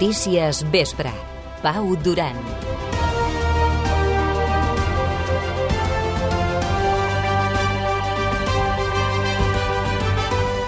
Notícies Vespre. Pau Duran.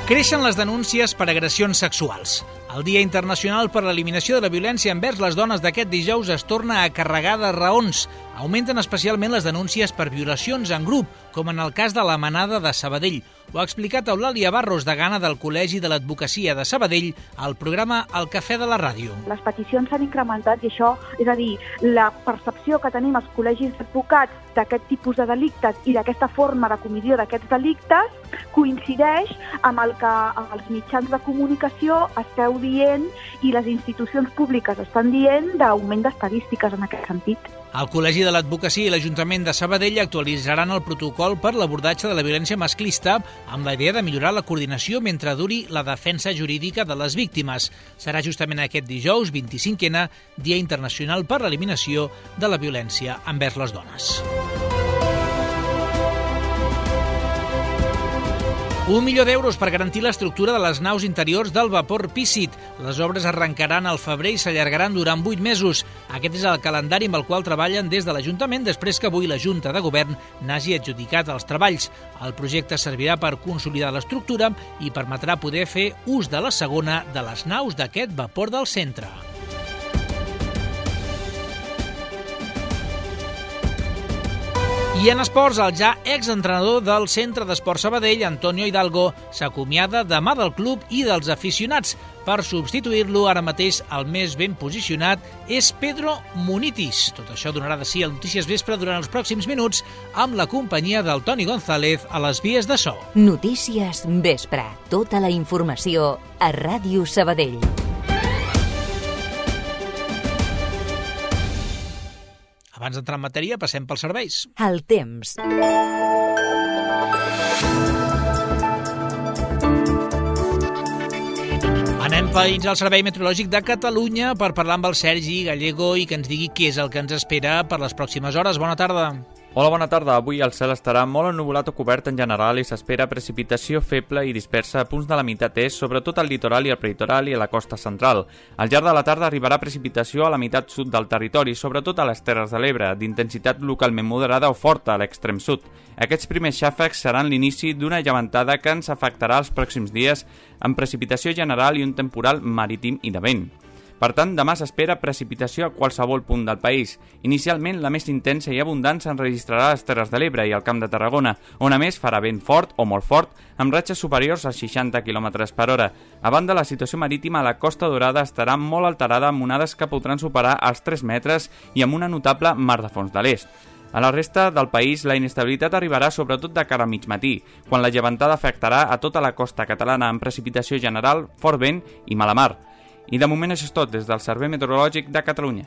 Creixen les denúncies per agressions sexuals. El Dia Internacional per l'Eliminació de la Violència envers les dones d'aquest dijous es torna a carregar de raons. Augmenten especialment les denúncies per violacions en grup, com en el cas de la Manada de Sabadell. Ho ha explicat Eulàlia Barros, degana del Col·legi de l'Advocacia de Sabadell, al programa El Cafè de la Ràdio. Les peticions s'han incrementat i això, és a dir, la percepció que tenim els col·legis d'advocats d'aquest tipus de delictes i d'aquesta forma de comissió d'aquests delictes coincideix amb el que els mitjans de comunicació esteu dient i les institucions públiques estan dient d'augment d'estadístiques en aquest sentit. El Col·legi de l'Advocacia i l'Ajuntament de Sabadell actualitzaran el protocol per l'abordatge de la violència masclista amb la idea de millorar la coordinació mentre duri la defensa jurídica de les víctimes. Serà justament aquest dijous, 25è, Dia Internacional per l'Eliminació de la Violència envers les dones. 1 milió d'euros per garantir l'estructura de les naus interiors del vapor Pícit. Les obres arrencaran al febrer i s'allargaran durant 8 mesos. Aquest és el calendari amb el qual treballen des de l'Ajuntament després que avui la Junta de Govern n'hagi adjudicat els treballs. El projecte servirà per consolidar l'estructura i permetrà poder fer ús de la segona de les naus d'aquest vapor del centre. I en esports, el ja exentrenador del Centre d'Esport Sabadell, Antonio Hidalgo, s'acomiada demà del club i dels aficionats. Per substituir-lo, ara mateix el més ben posicionat és Pedro Munitis. Tot això donarà de si a Notícies Vespre durant els pròxims minuts amb la companyia del Toni González a les vies de so. Notícies Vespre. Tota la informació a Ràdio Sabadell. Abans d'entrar en matèria, passem pels serveis. El temps. Anem fins al Servei Meteorològic de Catalunya per parlar amb el Sergi Gallego i que ens digui què és el que ens espera per les pròximes hores. Bona tarda. Hola, bona tarda. Avui el cel estarà molt ennuvolat o cobert en general i s'espera precipitació feble i dispersa a punts de la meitat est, sobretot al litoral i al prelitoral i a la costa central. Al llarg de la tarda arribarà precipitació a la meitat sud del territori, sobretot a les Terres de l'Ebre, d'intensitat localment moderada o forta a l'extrem sud. Aquests primers xàfecs seran l'inici d'una llevantada que ens afectarà els pròxims dies amb precipitació general i un temporal marítim i de vent. Per tant, demà s'espera precipitació a qualsevol punt del país. Inicialment, la més intensa i abundant s'enregistrarà a les Terres de l'Ebre i al Camp de Tarragona, on a més farà vent fort o molt fort, amb ratxes superiors a 60 km per hora. A banda, la situació marítima a la Costa Daurada estarà molt alterada amb onades que podran superar els 3 metres i amb una notable mar de fons de l'est. A la resta del país, la inestabilitat arribarà sobretot de cara a mig matí, quan la llevantada afectarà a tota la costa catalana amb precipitació general, fort vent i mala mar. I de moment això és tot des del Servei Meteorològic de Catalunya.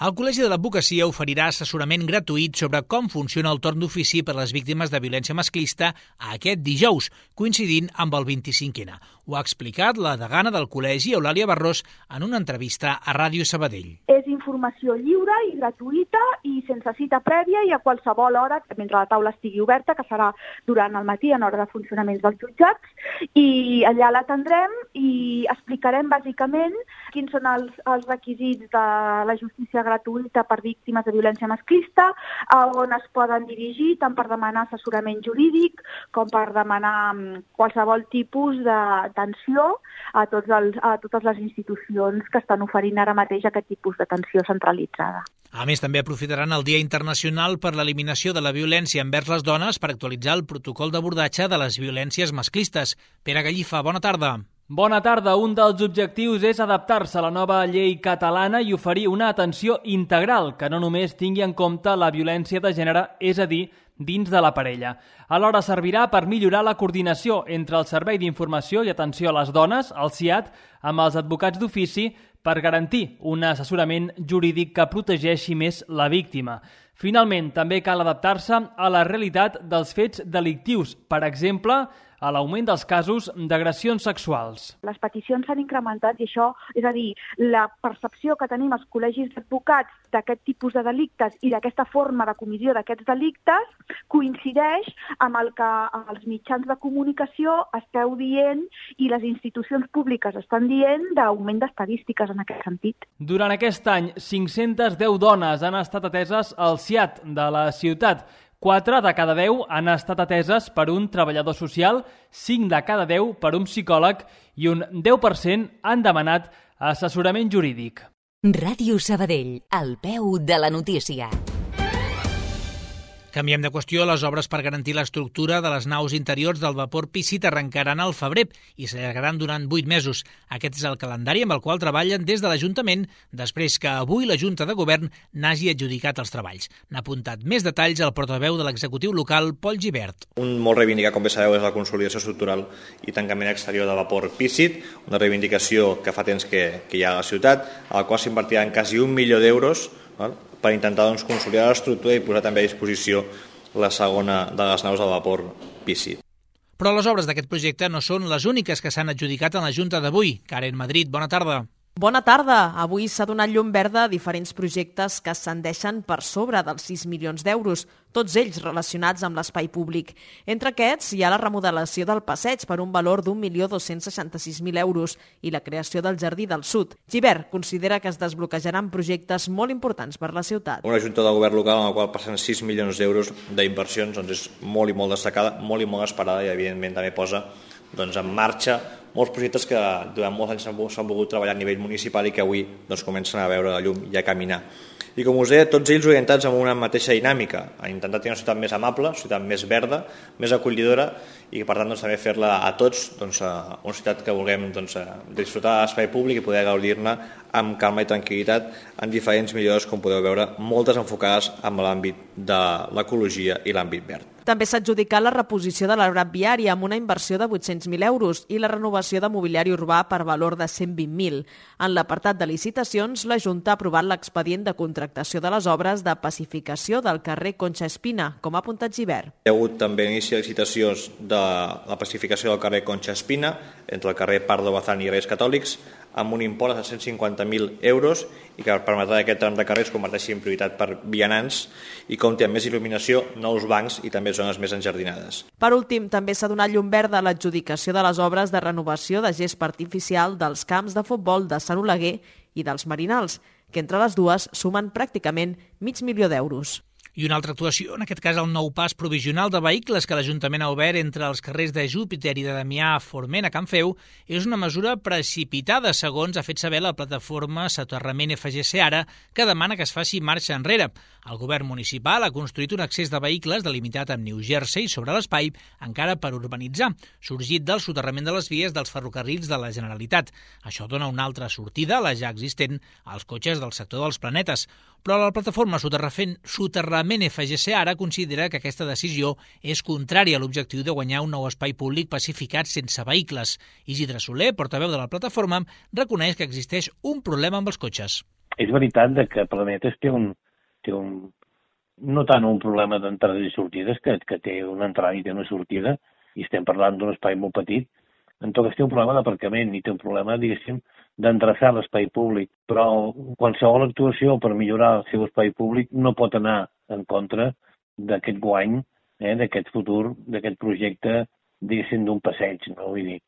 El Col·legi de l'Advocacia oferirà assessorament gratuït sobre com funciona el torn d'ofici per a les víctimes de violència masclista aquest dijous, coincidint amb el 25è. Ho ha explicat la degana del Col·legi, Eulàlia Barros, en una entrevista a Ràdio Sabadell. És informació lliure i gratuïta i sense cita prèvia i a qualsevol hora, mentre la taula estigui oberta, que serà durant el matí en hora de funcionaments dels jutjats, i allà l'atendrem i explicarem bàsicament quins són els requisits de la justícia gratuïta per víctimes de violència masclista, a on es poden dirigir tant per demanar assessorament jurídic com per demanar qualsevol tipus d'atenció a totes les institucions que estan oferint ara mateix aquest tipus d'atenció centralitzada. A més, també aprofitaran el Dia Internacional per l'Eliminació de la Violència envers les dones per actualitzar el protocol d'abordatge de les violències masclistes. Pere Gallifa, bona tarda. Bona tarda. Un dels objectius és adaptar-se a la nova llei catalana i oferir una atenció integral que no només tingui en compte la violència de gènere, és a dir, dins de la parella. Alhora servirà per millorar la coordinació entre el Servei d'Informació i Atenció a les Dones, el SIAD, amb els advocats d'ofici per garantir un assessorament jurídic que protegeixi més la víctima. Finalment, també cal adaptar-se a la realitat dels fets delictius. Per exemple, a l'augment dels casos d'agressions sexuals. Les peticions s'han incrementat i això, és a dir, la percepció que tenim als col·legis d'advocats d'aquest tipus de delictes i d'aquesta forma de comissió d'aquests delictes coincideix amb el que els mitjans de comunicació esteu dient i les institucions públiques estan dient d'augment d'estadístiques en aquest sentit. Durant aquest any, 510 dones han estat ateses al CIAT de la ciutat. 4 de cada 10 han estat ateses per un treballador social, 5 de cada 10 per un psicòleg i un 10% han demanat assessorament jurídic. Ràdio Sabadell, al peu de la notícia. Canviem de qüestió. Les obres per garantir l'estructura de les naus interiors del vapor Pícit arrencaran al febrer i s'allargaran durant 8 mesos. Aquest és el calendari amb el qual treballen des de l'Ajuntament després que avui la Junta de Govern n'hagi adjudicat els treballs. N'ha apuntat més detalls el portaveu de l'executiu local, Pol Gibert. Un molt reivindicat, com bé sabeu, és la consolidació estructural i tancament exterior del vapor Pícit, una reivindicació que fa temps que hi ha a la ciutat, a la qual s'invertiran quasi 1 milió d'euros, per intentar consolidar l'estructura i posar també a disposició la segona de les naus del vapor Pícit. Però les obres d'aquest projecte no són les úniques que s'han adjudicat en la Junta d'avui. Karen Madrid, bona tarda. Bona tarda. Avui s'ha donat llum verda a diferents projectes que s'endeixen per sobre dels 6 milions d'euros, tots ells relacionats amb l'espai públic. Entre aquests hi ha la remodelació del passeig per un valor d'1.266.000 euros i la creació del Jardí del Sud. Gibert considera que es desbloquejaran projectes molt importants per la ciutat. Una junta de govern local en la qual passen 6 milions d'euros d'inversions és molt i molt destacada, molt i molt esperada i evidentment també posa en marxa molts projectes que durant molts anys s'han volgut treballar a nivell municipal i que avui comencen a veure la llum i a caminar. I com us deia, tots ells orientats amb una mateixa dinàmica, a intentar tenir una ciutat més amable, una ciutat més verda, més acollidora i per tant també fer-la a tots una ciutat que vulguem disfrutar de l'espai públic i poder gaudir-ne amb calma i tranquil·litat en diferents millores, com podeu veure, moltes enfocades en l'àmbit de l'ecologia i l'àmbit verd. També s'ha adjudicat la reposició de l'arbrat viari amb una inversió de 800.000 euros i la renovació de mobiliari urbà per valor de 120.000. En l'apartat de licitacions, la Junta ha aprovat l'expedient de contractació de les obres de pacificació del carrer Concha Espina, com ha apuntat Gibert. Hi ha hagut també inici de licitacions de la pacificació del carrer Concha Espina entre el carrer Pardo Bazán i Reis Catòlics amb un import de 150.000 euros i que permetrà que aquest tram de carrer es converteixi en prioritat per vianants i compti amb més il·luminació, nous bancs i també zones més enjardinades. Per últim, també s'ha donat llum verda a l'adjudicació de les obres de renovació de gespa artificial dels camps de futbol de Sant Oleguer i dels Marinals, que entre les dues sumen pràcticament $500.000 d'euros. I una altra actuació, en aquest cas el nou pas provisional de vehicles que l'Ajuntament ha obert entre els carrers de Júpiter i de Damià Forment a Can Feu, és una mesura precipitada, segons ha fet saber la plataforma Soterrament FGC Ara, que demana que es faci marxa enrere. El govern municipal ha construït un accés de vehicles delimitat amb New Jersey sobre l'espai, encara per urbanitzar, sorgit del soterrament de les vies dels ferrocarrils de la Generalitat. Això dona una altra sortida a la ja existent als cotxes del sector dels planetes. Però la plataforma Soterrament FGC Ara considera que aquesta decisió és contrària a l'objectiu de guanyar un nou espai públic pacificat sense vehicles. Isidre Soler, portaveu de la plataforma, reconeix que existeix un problema amb els cotxes. És veritat que Planetes té un no tant un problema d'entrades i sortides, que té una entrada i té una sortida, i estem parlant d'un espai molt petit. En tot cas té un problema d'aparcament i té un problema, diguéssim, d'endreçar l'espai públic, però qualsevol actuació per millorar el seu espai públic no pot anar en contra d'aquest guany, d'aquest futur, d'aquest projecte, diguéssim, d'un passeig, no? Vull dir,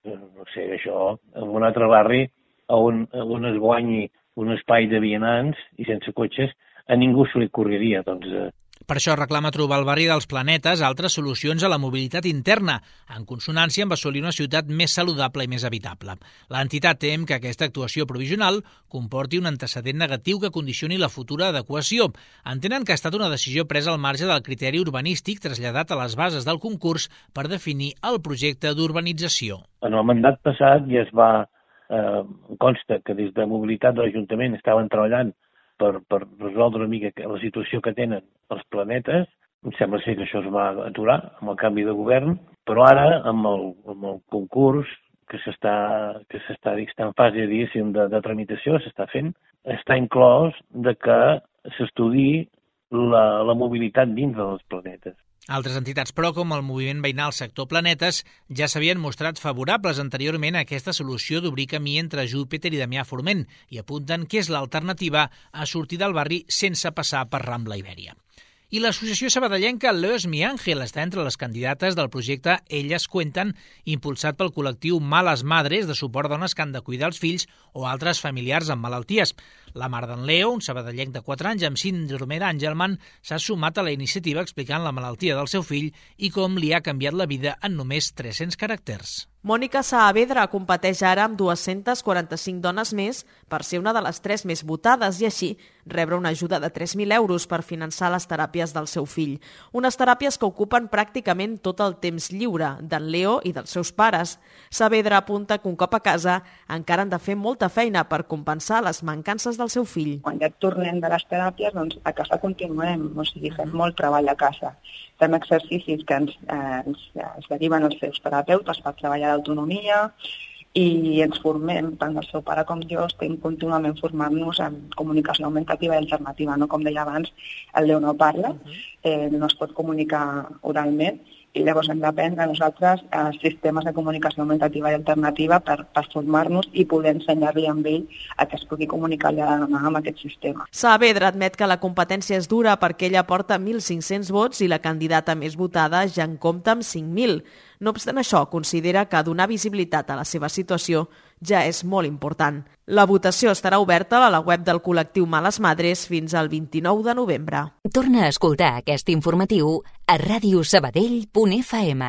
no sé, això, en un altre barri on es guanyi un espai de vianants i sense cotxes, a ningú se li correria, doncs... Per això reclama trobar al barri dels Planetes altres solucions a la mobilitat interna, en consonància amb assolir una ciutat més saludable i més habitable. L'entitat tem que aquesta actuació provisional comporti un antecedent negatiu que condicioni la futura adequació. Entenen que ha estat una decisió presa al marge del criteri urbanístic traslladat a les bases del concurs per definir el projecte d'urbanització. En el mandat passat ja es va... consta que des de mobilitat de l'Ajuntament estaven treballant per resoldre una mica la situació que tenen els Planetes. Em sembla ser que això es va aturar amb el canvi de govern, però ara, amb el concurs que s'està en fase, diguéssim, de tramitació, s'està fent, està inclòs de que s'estudiï la mobilitat dins dels Planetes. Altres entitats, però, com el moviment veïnal Sector Planetes, ja s'havien mostrat favorables anteriorment a aquesta solució d'obrir camí entre Júpiter i Damià Forment i apunten que és l'alternativa a sortir del barri sense passar per Rambla Ibèria. I l'associació sabadellenca Leos Mi Ángel està entre les candidates del projecte Elles Cuenten, impulsat pel col·lectiu Males Madres de suport a dones que han de cuidar els fills o altres familiars amb malalties. La mare d'en Leo, un sabadellenc de 4 anys amb síndrome d'Angelman, s'ha sumat a la iniciativa explicant la malaltia del seu fill i com li ha canviat la vida en només 300 caràcters. Mònica Saavedra competeix ara amb 245 dones més per ser una de les 3 més votades i així rebre una ajuda de 3.000 euros per finançar les teràpies del seu fill. Unes teràpies que ocupen pràcticament tot el temps lliure d'en Leo i dels seus pares. Saavedra apunta que un cop a casa encara han de fer molta feina per compensar les mancances del seu fill. Quan ja tornem de les teràpies, doncs a casa continuem, o sigui, fem molt treball a casa. Fem exercicis que ens deriven els seus terapeutes per treballar d'autonomia i ens formem, tant el seu pare com jo, estem contínuament formant-nos en comunicació augmentativa i alternativa. No? Com deia abans, el Leo no parla, no es pot comunicar oralment, i llavors hem d'aprendre nosaltres sistemes de comunicació augmentativa i alternativa per formar-nos i poder ensenyar-li amb ell a que es pugui comunicar amb aquest sistema. Saavedra admet que la competència és dura perquè ella porta 1.500 vots i la candidata més votada ja en compta amb 5.000. No obstant això, considera que donar visibilitat a la seva situació ja és molt important. La votació estarà oberta a la web del col·lectiu Males Madres fins al 29 de novembre. Torna a escoltar aquest informatiu a radiosabadell.fm.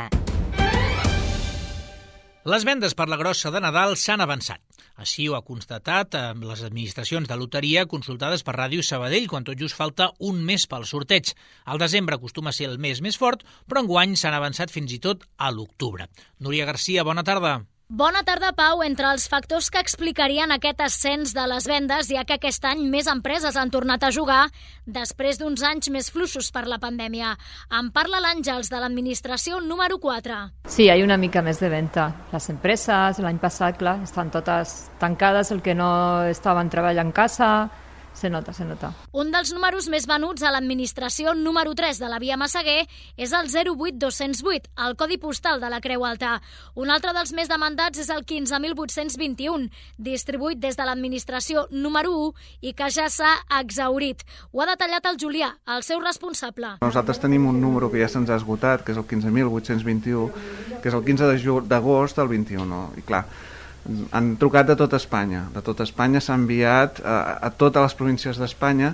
Les vendes per la grossa de Nadal s'han avançat. Així ho ha constatat les administracions de loteria consultades per Ràdio Sabadell quan tot just falta un mes pel sorteig. El desembre acostuma a ser el mes més fort, però enguany s'han avançat fins i tot a l'octubre. Núria Garcia, bona tarda. Bona tarda, Pau. Entre els factors que explicarien aquest ascens de les vendes hi ha que aquest any més empreses han tornat a jugar després d'uns anys més fluixos per la pandèmia. En parla l'Àngels, de l'administració número 4. Sí, hay una mica més de venta. Les empreses, l'any passat, clar, estan totes tancades, el que no estaven treballant en casa. Se nota. Un dels números més venuts a l'administració número 3 de la Via Massaguer és el 08208, el codi postal de la Creu Alta. Un altre dels més demandats és el 15.821, distribuït des de l'administració número 1 i que ja s'ha exhaurit. Ho ha detallat el Julià, el seu responsable. Nosaltres tenim un número que ja se'ns ha esgotat, que és el 15.821, que és el 15 d'agost del 21. I clar, han trucat de tota Espanya. De tota Espanya s'ha enviat a totes les províncies d'Espanya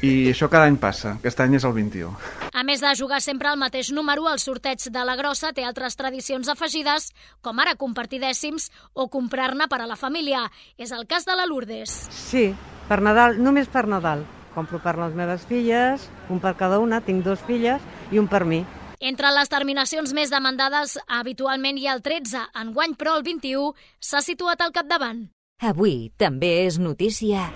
i això cada any passa. Aquest any és el 21. A més de jugar sempre al mateix número, el sorteig de la grossa té altres tradicions afegides, com ara compartir dècims o comprar-ne per a la família. És el cas de la Lourdes. Sí, per Nadal, només per Nadal. Compro per les meves filles, un per cada una, tinc 2 filles i un per mi. Entre les terminacions més demandades, habitualment hi ha el 13, enguany però el 21 s'ha situat al capdavant. Avui també és notícia.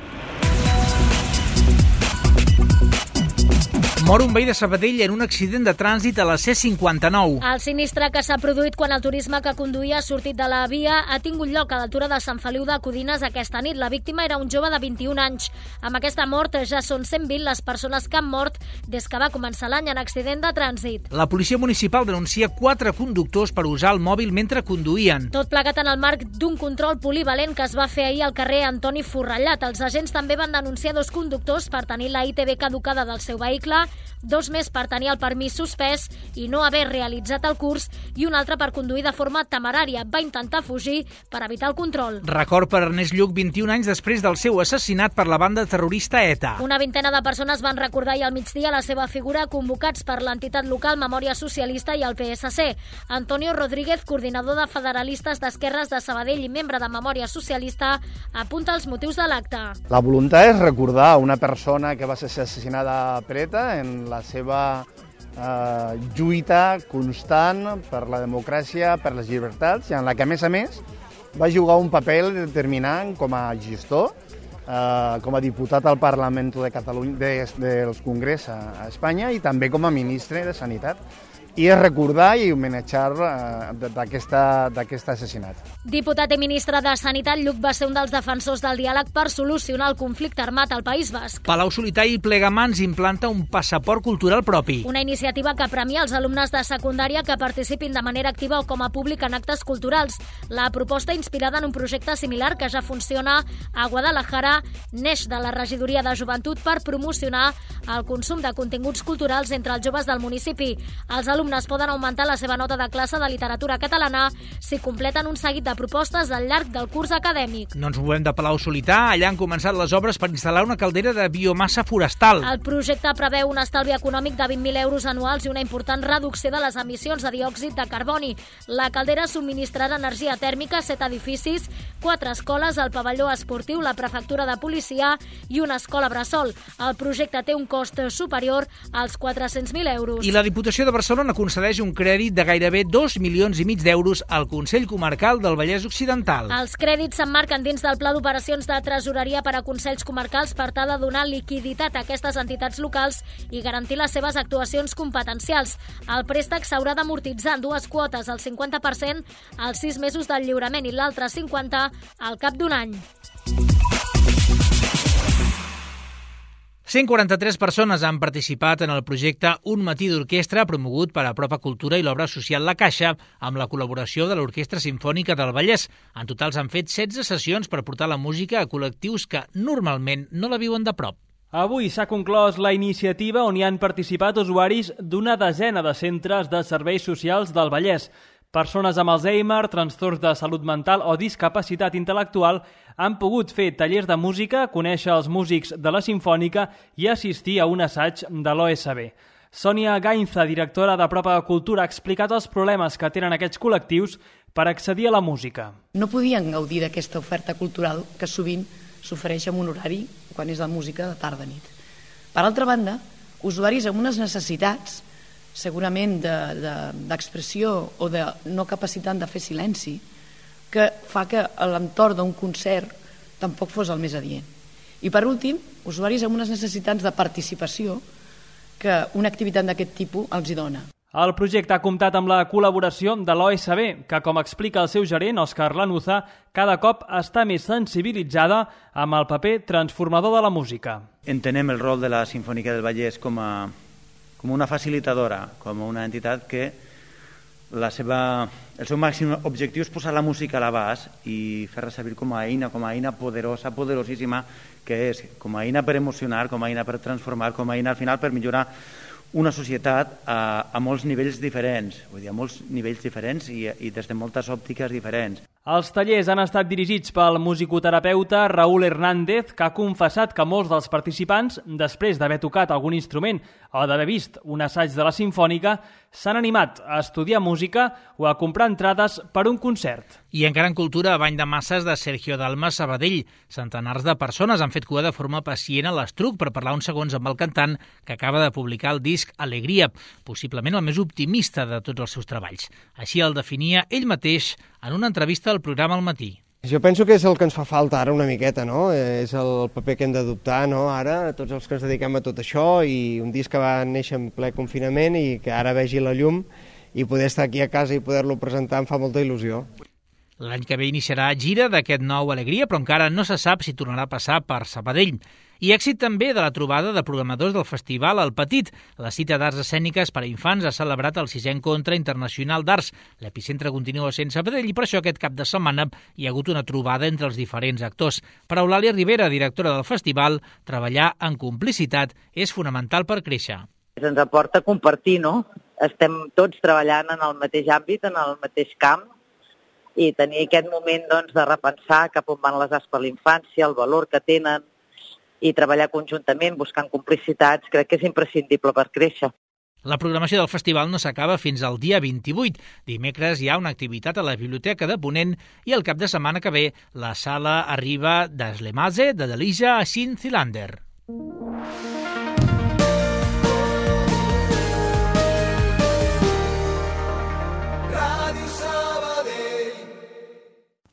Mor un veí de Sabadell en un accident de trànsit a la C59. El sinistre que s'ha produït quan el turisme que conduïa ha sortit de la via ha tingut lloc a l'altura de Sant Feliu de Codines aquesta nit. La víctima era un jove de 21 anys. Amb aquesta mort ja són 120 les persones que han mort des que va començar l'any en accident de trànsit. La policia municipal denuncia 4 conductors per usar el mòbil mentre conduïen. Tot plegat en el marc d'un control polivalent que es va fer ahir al carrer Antoni Forrellat. Els agents també van denunciar 2 conductors per tenir la ITV caducada del seu vehicle, 2 més per tenir el permís suspès i no haver realitzat el curs i un altre per conduir de forma temerària. Va intentar fugir per evitar el control. Record per Ernest Lluc 21 anys després del seu assassinat per la banda terrorista ETA. Una vintena de persones van recordar ahir al migdia la seva figura, convocats per l'entitat local Memòria Socialista i el PSC. Antonio Rodríguez, coordinador de Federalistes d'Esquerres de Sabadell i membre de Memòria Socialista, apunta els motius de l'acte. La voluntat és recordar una persona que va ser assassinada per ETA en la seva lluita constant per la democràcia, per les llibertats, i en la que, a més, va jugar un paper determinant com a gestor, com a diputat al Parlament de Catalunya, del Congrés a Espanya, i també com a ministre de Sanitat. i recordar i homenatjar d'aquest assassinat. Diputat i ministre de Sanitat, Lluc va ser un dels defensors del diàleg per solucionar el conflicte armat al País Basc. Palau-solità i Plegamans implanta un passaport cultural propi. Una iniciativa que premia els alumnes de secundària que participin de manera activa o com a públic en actes culturals. La proposta, inspirada en un projecte similar que ja funciona a Guadalajara, neix de la Regidoria de Joventut per promocionar el consum de continguts culturals entre els joves del municipi. Els alumnes poden augmentar la seva nota de classe de literatura catalana si completen un seguit de propostes al llarg del curs acadèmic. No ens movem de Palau-solità. Allà han començat les obres per instal·lar una caldera de biomassa forestal. El projecte preveu un estalvi econòmic de 20.000 euros anuals i una important reducció de les emissions de diòxid de carboni. La caldera subministrarà energia tèrmica a 7 edificis, 4 escoles, el pavelló esportiu, la prefectura de policia i una escola bressol. El projecte té un cost superior als 400.000 euros. I la Diputació de Barcelona concedeix un crèdit de gairebé 2,5 milions d'euros al Consell Comarcal del Vallès Occidental. Els crèdits s'emmarquen dins del Pla d'Operacions de Tresoreria per a Consells Comarcals per tal de donar liquiditat a aquestes entitats locals i garantir les seves actuacions competencials. El préstec s'haurà d'amortitzar en 2 quotes, el 50% als 6 mesos del lliurament i l'altre 50% al cap d'un any. 143 persones han participat en el projecte Un matí d'orquestra promogut per Apropa Cultura i l'obra social La Caixa amb la col·laboració de l'Orquestra Simfònica del Vallès. En total s'han fet 16 sessions per portar la música a col·lectius que normalment no la viuen de prop. Avui s'ha conclòs la iniciativa on hi han participat usuaris d'una desena de centres de serveis socials del Vallès. Persones amb Alzheimer, trastorns de salut mental o discapacitat intel·lectual han pogut fer tallers de música, conèixer els músics de la Simfònica i assistir a un assaig de l'OSB. Sònia Gainza, directora d'Apropa Cultura, ha explicat els problemes que tenen aquests col·lectius per accedir a la música. No podien gaudir d'aquesta oferta cultural que sovint s'ofereix en un horari quan és la música de tarda-nit. Per altra banda, usuaris amb unes necessitats segurament d'expressió o de no capacitat de fer silenci, que fa que l'entorn d'un concert tampoc fos el més adient. I per últim, usuaris amb unes necessitats de participació que una activitat d'aquest tipus els hi dona. El projecte ha comptat amb la col·laboració de l'OSB, que, com explica el seu gerent, Òscar Lanuza, cada cop està més sensibilitzada amb el paper transformador de la música. Entenem el rol de la Simfònica del Vallès com una facilitadora, com una entitat que el seu màxim objectiu és posar la música a l'abast i fer-la servir com a eina poderosa, poderosíssima, que és com a eina per emocionar, com a eina per transformar, com a eina al final per millorar una societat a molts nivells diferents, vull dir, a molts nivells diferents i des de moltes òptiques diferents. Els tallers han estat dirigits pel musicoterapeuta Raúl Hernández, que ha confessat que molts dels participants, després d'haver tocat algun instrument o d'haver vist un assaig de la Simfònica, s'han animat a estudiar música o a comprar entrades per un concert. I encara en cultura, a Bany de Masses de Sergio Dalma, Sabadell. Centenars de persones han fet cua de forma pacient a l'Estruc per parlar uns segons amb el cantant que acaba de publicar el disc Alegria, possiblement el més optimista de tots els seus treballs. Així el definia ell mateix en una entrevista al programa Al Matí. Jo penso que és el que ens fa falta ara una miqueta, no? És el paper que hem d'adoptar, no? Ara, tots els que ens dediquem a tot això, i un disc que va néixer en ple confinament i que ara vegi la llum i poder estar aquí a casa i poder-lo presentar em fa molta il·lusió. L'any que ve iniciarà gira d'aquest nou Alegria, però encara no se sap si tornarà a passar per Sabadell. I èxit també de la trobada de programadors del festival El Petit. La cita d'arts escèniques per a infants ha celebrat el 6è Encontre Internacional d'Arts. L'epicentre continua sent Sabadell i per això aquest cap de setmana hi ha hagut una trobada entre els diferents actors. Per a Eulàlia Rivera, directora del festival, treballar en complicitat és fonamental per créixer. Ens aporta compartir, no? Estem tots treballant en el mateix àmbit, en el mateix camp, i tenir aquest moment de repensar cap on van les arts per l'infància, el valor que tenen, i treballar conjuntament buscant complicitats, crec que és imprescindible per créixer. La programació del festival no s'acaba fins al dia 28. Dimecres hi ha una activitat a la Biblioteca de Ponent i el cap de setmana que ve la sala arriba d'Eslemase de Delija a Sint-Zilander.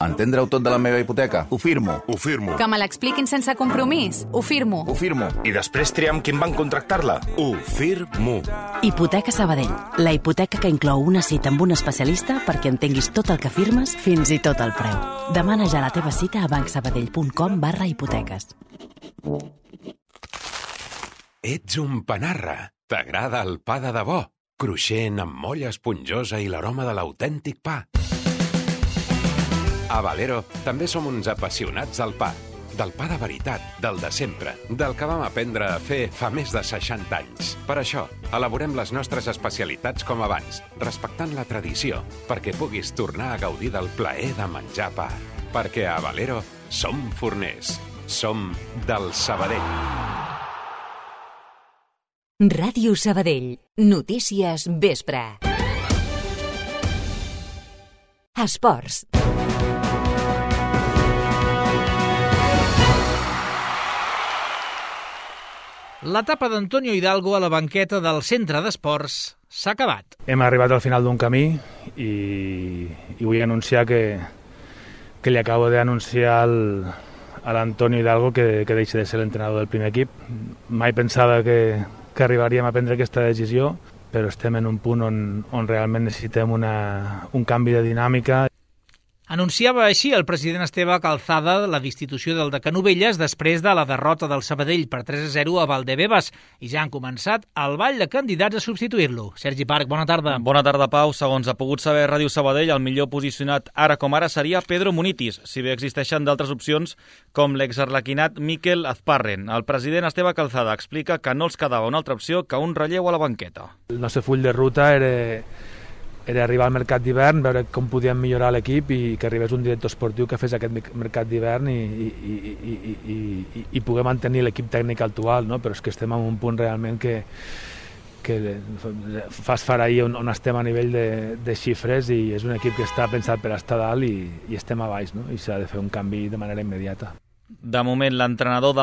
Entendre-ho tot de la meva hipoteca? Ho firmo. Ho firmo. Que me l'expliquin sense compromís? Ho firmo. Ho firmo. I després triar amb qui em van contractar-la? Ho firmo. Hipoteca Sabadell. La hipoteca que inclou una cita amb un especialista perquè entenguis tot el que firmes, fins i tot el preu. Demana ja la teva cita a bancsabadell.com/hipoteques. Ets un panarra. T'agrada el pa de debò? Cruixent, amb molla esponjosa i l'aroma de l'autèntic pa. A Valero també som uns apassionats del pa. Del pa de veritat, del de sempre, del que vam aprendre a fer fa més de 60 anys. Per això, elaborem les nostres especialitats com abans, respectant la tradició, perquè puguis tornar a gaudir del plaer de menjar pa. Perquè a Valero som forners. Som del Sabadell. Ràdio Sabadell. Notícies vespre. Esports. L'etapa d'Antonio Hidalgo a la banqueta del centre d'esports s'ha acabat. Hem arribat al final d'un camí i vull anunciar que li acabo d'anunciar a l'Antonio Hidalgo que deixi de ser l'entrenador del primer equip. Mai pensava que arribaríem a prendre aquesta decisió, però estem en un punt on realment necessitem un canvi de dinàmica. Anunciava així el president Esteve Calzada la destitució del de Canovelles després de la derrota del Sabadell per 3-0 a Valdebebas i ja han començat el ball de candidats a substituir-lo. Sergi Parc, bona tarda. Bona tarda, Pau. Segons ha pogut saber Ràdio Sabadell, el millor posicionat ara com ara seria Pedro Munitis, si bé existeixen d'altres opcions com l'exarlequinat Mikel Azparren. El president Esteve Calzada explica que no els quedava una altra opció que un relleu a la banqueta. El nostre full de ruta era arribar al mercat d'hivern, veure com podíem millorar l'equip i que arribés un director esportiu que fes aquest mercat d'hivern i poder mantenir l'equip tècnic actual, no? Però és que estem en un punt realment que fa esfereir on estem a nivell de xifres i és un equip que està pensat per estar dalt i estem a baix, no? I s'ha de fer un canvi de manera immediata. De moment, l'entrenador de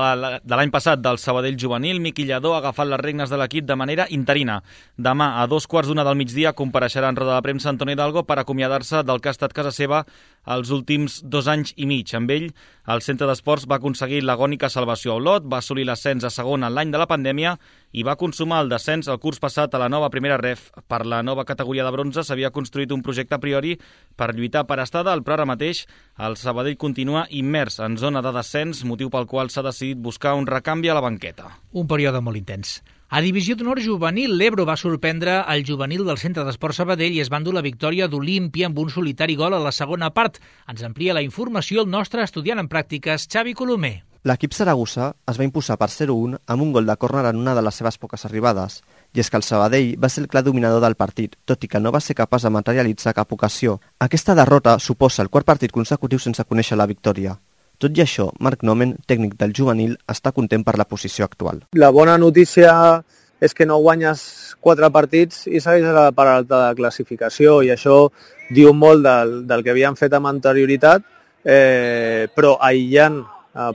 l'any passat del Sabadell juvenil, Miqui Lladó, ha agafat les regnes de l'equip de manera interina. Demà, a 2:15 del migdia, compareixerà en roda de premsa Antonio Hidalgo per acomiadar-se del que ha estat casa seva els últims 2 anys i mig. Amb ell, el centre d'esports va aconseguir l'agònica salvació a Olot, va assolir l'ascens a segona l'any de la pandèmia i va consumar el descens el curs passat a la nova primera ref. Per la nova categoria de bronze s'havia construït un projecte a priori per lluitar per estar dalt, però ara mateix el Sabadell continua immers en zona de descens, motiu pel qual s'ha decidit buscar un recanvi a la banqueta. Un període molt intens. A Divisió d'Honor Juvenil, l'Ebro va sorprendre el juvenil del Centre d'Esport Sabadell i es va endur la victòria d'Olímpia amb un solitari gol a la segona part. Ens amplia la informació el nostre estudiant en pràctiques, Xavi Colomer. L'equip saragossa es va imposar per 0-1 amb un gol de córner en una de les seves poques arribades. I és que el Sabadell va ser el clar dominador del partit, tot i que no va ser capaç de materialitzar cap ocasió. Aquesta derrota suposa el quart partit consecutiu sense conèixer la victòria. Tot i això, Marc Nomen, tècnic del juvenil, està content per la posició actual. La bona notícia és que no guanyes 4 partits i segueixes a la part alta de classificació i això diu molt del que havien fet amb anterioritat, però aïllant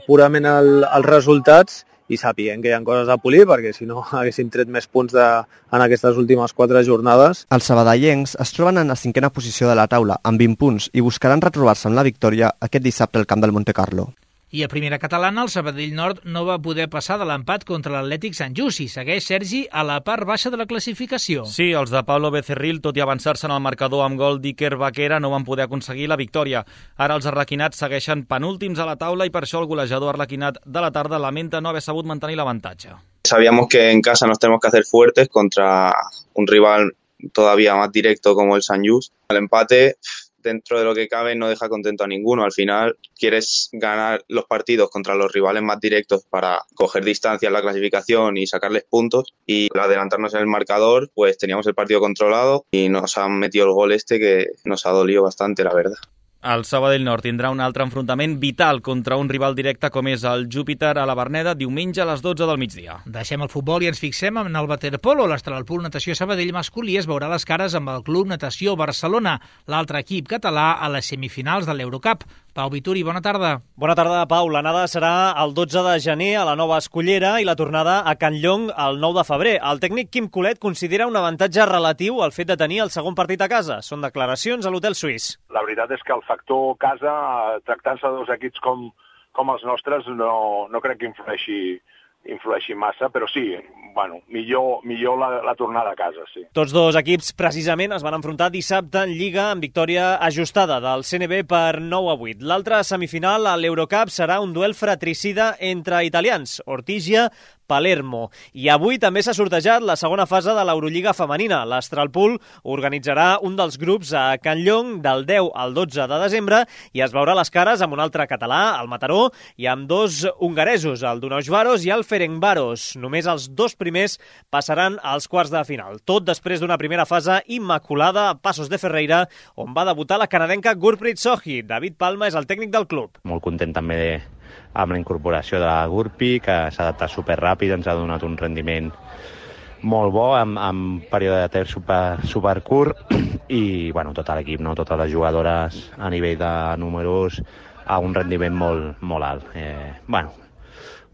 purament els resultats i sapient que hi ha coses a polir, perquè si no haguéssim tret més punts en aquestes últimes 4 jornades. Els sabadellencs es troben en la 5a posició de la taula, amb 20 punts, i buscaran retrobar-se amb la victòria aquest dissabte al camp del Montecarlo. I a primera catalana, el Sabadell Nord no va poder passar de l'empat contra l'Atlètic Sant Just i segueix, Sergi, a la part baixa de la classificació. Sí, els de Pablo Becerril, tot i avançar-se en el marcador amb gol d'Iker Vaquera, no van poder aconseguir la victòria. Ara els arlequinats segueixen penúltims a la taula i per això el golejador arlequinat de la tarda lamenta no haver sabut mantenir l'avantatge. Sabíamos que en casa nos tenemos que hacer fuertes contra un rival todavía más directo como el Sant Just. El empate, dentro de lo que cabe, no deja contento a ninguno. Al final quieres ganar los partidos contra los rivales más directos para coger distancia en la clasificación y sacarles puntos, y al adelantarnos en el marcador pues teníamos el partido controlado y nos han metido el gol que nos ha dolido bastante, la verdad. El Sabadell Nord tindrà un altre enfrontament vital contra un rival directe com és el Júpiter a la Verneda diumenge a les 12 del migdia. Deixem el futbol i ens fixem en el waterpolo. L'Astralpool Natació Sabadell masculí es veurà les cares amb el Club Natació Barcelona, l'altre equip català a les semifinals de l'Eurocup. Pau Vituri, bona tarda. Bona tarda, Pau. L'anada serà el 12 de gener a la Nova Escullera i la tornada a Can Llong el 9 de febrer. El tècnic Quim Colet considera un avantatge relatiu el fet de tenir el segon partit a casa. Són declaracions a l'Hotel Suís. La veritat és que el factor casa, tractant-se de dos equips com els nostres, no crec que influeixi massa, però sí, bueno, millor la tornada a casa, sí. Tots dos equips precisament es van enfrontar dissabte en Lliga amb victòria ajustada del CNB per 9-8. L'altra semifinal a l'Eurocup serà un duel fratricida entre italians, Ortigia, Palermo. I avui també s'ha sortejat la segona fase de l'Eurolliga femenina. L'Astralpool organitzarà un dels grups a Can Llong del 10 al 12 de desembre i es veurà les cares amb un altre català, el Mataró, i amb dos hongaresos, el Dunausvaros i el Ferencváros. Només els dos primers passaran als quarts de final. Tot després d'una primera fase immaculada a Passos de Ferreira, on va debutar la canadenca Gurpreet Sohi. David Palma és el tècnic del club. Molt content també amb la incorporació de la Gurpi, que s'ha adaptat superràpid, ens ha donat un rendiment molt bo, amb període de temps supercurt, i bueno, tot l'equip, no? Totes les jugadores a nivell de números a un rendiment molt alt.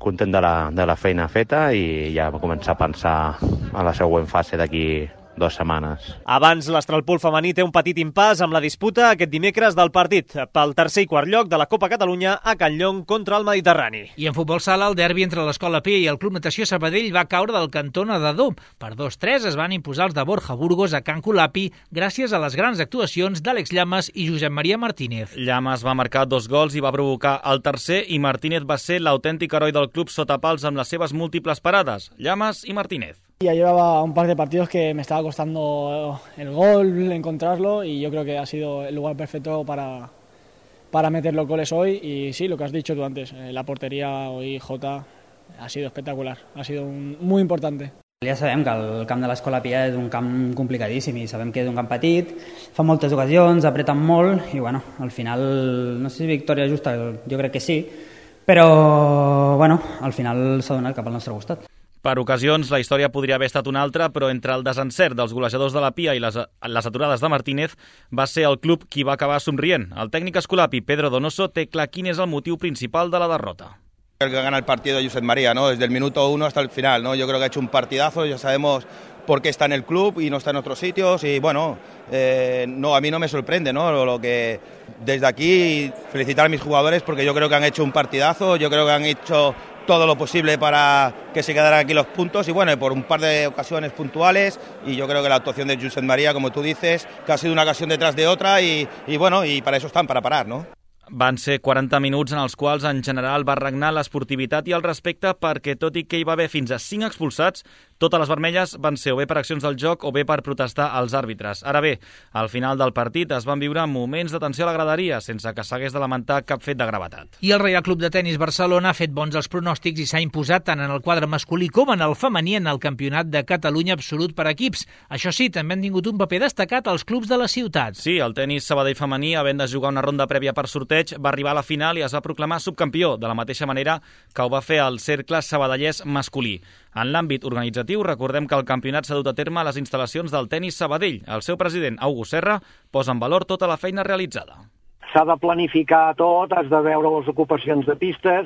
Content de la feina feta i ja va començar a pensar a la següent fase d'aquí 2 setmanes. Abans, l'Astralpool femení té un petit impàs amb la disputa aquest dimecres del partit pel tercer i quart lloc de la Copa Catalunya a Can Llong contra el Mediterrani. I en futbol sala, el derbi entre l'Escola Pia i el Club Natació Sabadell va caure del cantó nedador. Per 2-3 es van imposar els de Borja Burgos a Can Colapi gràcies a les grans actuacions d'Àlex Llamas i Josep Maria Martínez. Llamas va marcar 2 gols i va provocar el tercer, i Martínez va ser l'autèntic heroi del club sota pals amb les seves múltiples parades. Llamas i Martínez. Ya llevaba un par de partidos que me estaba costando el gol, encontrarlo, y yo creo que ha sido el lugar perfecto para meter los goles hoy. Y sí, lo que has dicho tú antes, la portería hoy, Jota, ha sido espectacular, ha sido muy importante. Ja sabem que el camp de l'Escola Pia és un camp complicadíssim i sabem que és un camp petit, fa moltes ocasions, apreten molt i bueno, al final, no sé si victòria justa, jo crec que sí, però bueno, al final s'ha donat cap al nostre costat. Per ocasions, la història podria haver estat una altra, però entre el desencert dels golejadors de la Pia i les aturades de Martínez, va ser el club qui va acabar somrient. El tècnic escolapi, Pedro Donoso, té clar quin és el motiu principal de la derrota. El que gana el partido de Josep María, ¿no? Desde el minuto 1 hasta el final, ¿no? Yo creo que ha hecho un partidazo, ya sabemos por qué está en el club y no está en otros sitios y bueno, a mí no me sorprende, ¿no? Lo que desde aquí felicitar a mis jugadores porque yo creo que han hecho un partidazo, yo creo que han hecho todo lo posible para que se quedaran aquí los puntos y bueno, por un par de ocasiones puntuales y yo creo que la actuación de Josep María, como tú dices, que ha sido una ocasión detrás de otra y bueno, y para eso están, para parar, ¿no? Van ser 40 minuts en els quals en general va regnar l'esportivitat i el respecte perquè tot i que hi va haver fins a 5 expulsats, totes les vermelles van ser o bé per accions del joc o bé per protestar als àrbitres. Ara bé, al final del partit es van viure moments de tensió a la graderia sense que s'hagués de lamentar cap fet de gravetat. I el Reial Club de Tenis Barcelona ha fet bons els pronòstics i s'ha imposat tant en el quadre masculí com en el femení en el Campionat de Catalunya absolut per equips. Això sí, també han tingut un paper destacat als clubs de les ciutats. Sí, el tenis Sabadell femení, havent de jugar una ronda prèvia per sorteig, va arribar a la final i es va proclamar subcampió, de la mateixa manera que ho va fer el cercle sabadellès masculí. En l'àmbit organitzatiu, recordem que el campionat s'ha dut a terme a les instal·lacions del tenis Sabadell. El seu president, August Serra, posa en valor tota la feina realitzada. S'ha de planificar tot, has de veure les ocupacions de pistes,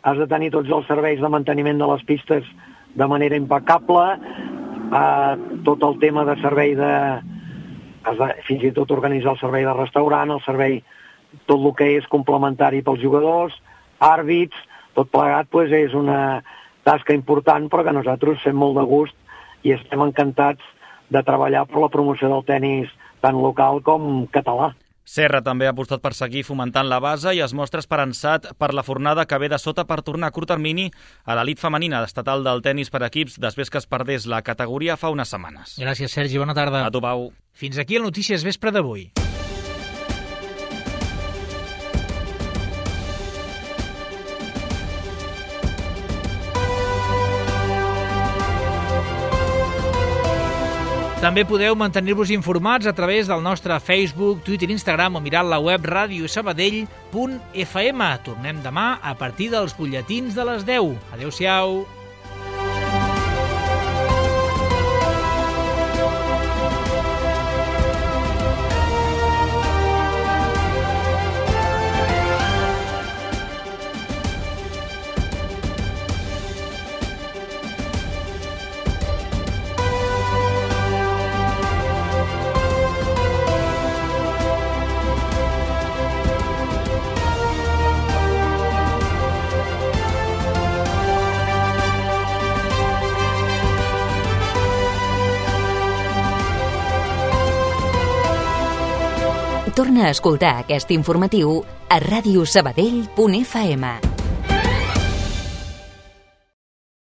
has de tenir tots els serveis de manteniment de les pistes de manera impecable, tot el tema de servei fins i tot organitzar el servei de restaurant, el servei, tot el que és complementari pels jugadors, àrbits, tot plegat és una tasca important, però que nosaltres fem molt de gust i estem encantats de treballar per la promoció del tenis tant local com català. Serra també ha apostat per seguir fomentant la base i es mostra esperançat per la fornada que ve de sota per tornar a curt termini a l'elit femenina estatal del tenis per equips després que es perdés la categoria fa unes setmanes. Gràcies, Sergi. Bona tarda. A tu, Pau. Fins aquí el Notícies Vespre d'avui. També podeu mantenir-vos informats a través del nostre Facebook, Twitter i Instagram o mirant la web radiosabadell.fm. Tornem demà a partir dels butlletins de les 10. Adéu-siau. Torna a escoltar aquest informatiu a radiosabadell.fm.